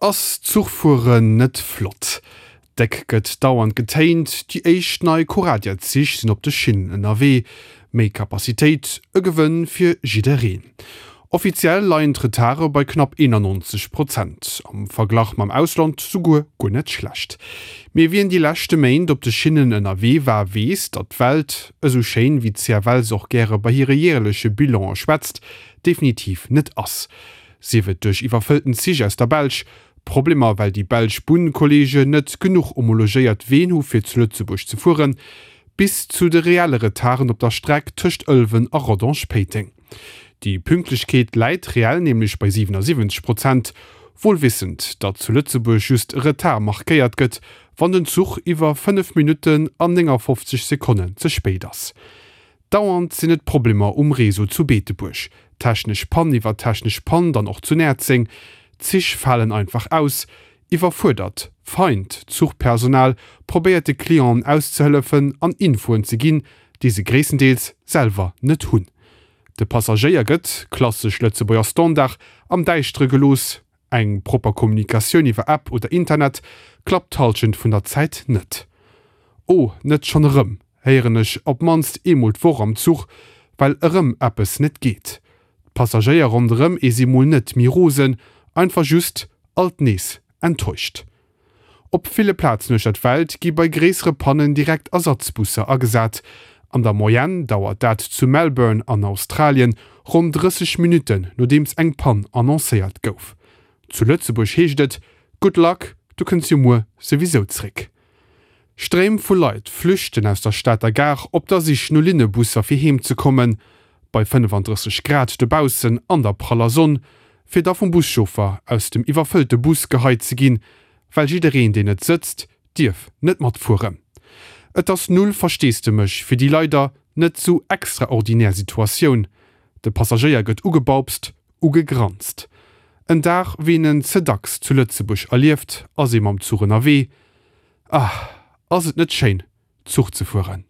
Ass Zuchfueren net flott? Déck gëtt dauernd getéint, déi éischt nei Coradia-Zich sinn op de Schinnen ënnerwee. Méi Capacitéit, e Gewënn fir jiddereen. Offiziell leien d'Retarde bei knapp 91 Prozent, am Verglach mam Ausland souguer guer net schlecht. Mee wien déi leschte Méint op de Schinnen ënnerwee war, weess, datt d'Welt, esou schéin wéi d'CFL se och gäre bei hire jäerleche Bilane schwätzt, definitiv net ass. Sief et duerch iwwerfëllten Zich aus der Belsch, Problemer well déi belsch Bunnkollegen net genuch homologéiert Ween hu fir zu Lëtzebuerg ze fueren, bis zu de reelle Retarden op der Streck tëscht Ëlwen a Rodange-Péiteng. Déi Pünktlechkeet läit reell nämlech bei 77 Prozent, wuel wissend, datt zu Lëtzebuerg just e Retard markéiert gëtt, wann den Zuch iwwer 5 Minutten an 59 Sekonnen ze spéit ass. Dauernd sinn et Problemer um Réseau zu Beetebuerg, technesch Pann iwwer technesch Pann, dann och zu Näerzeng, Zich falen einfach aus, iwwerfuerdert, feint Zuchpersonal probéiert de Clienten auszehëllefen an Infoen ze ginn, déi se gréisstendeels selwer net hunn. De Passagéier gëtt, klassesch Lëtzebuerger Standard, am Däischtere gelooss, Eng propper Kommunikatioun iwwer App oder Internet klappt d'Hallschent vun der Zäit net. Oh, net schonn erëm, héieren ech op d'mannst eemol d'Woch am Zuch, well erëm eppes net geet. D'Passagéier ronderëm ee si mol net méi rosen, einfach just alt nees enttäuscht. Op ville Plazen uechter d'Welt gi bei gréissere Pannen direkt Ersatzbusser agesat. An der Moyenne dauert dat zu Melbourne an Australien ronn 30 Minutten, nodeems eng Pann annoncéiert gouf. Zu Lëtzebuerg heescht et, Good luck, du kënns jo muer souwisou zréck. Stréim vu Leit flüchten aus der Stater Gare op der Sich no Linnebusser fir heem ze kommen, bei 35 Grad dobaussen an der praller Sonn, fir da vum Buschauffer aus dem iwwerfëllte Bus geheit ze ginn, well jiddereen deen net sëtzt, dierf net matfueren. Et ass null Versteesdemech fir déi leider net sou extraordinär Situatioun. De Passagéier gëtt ugebaupst, ugegranzt. En Dag wéi een en ze dacks zu Lëtzebuerg erlieft, ass ee mam Zuch ënnerwee. Ah, ass et net schéin, Zuch ze fueren?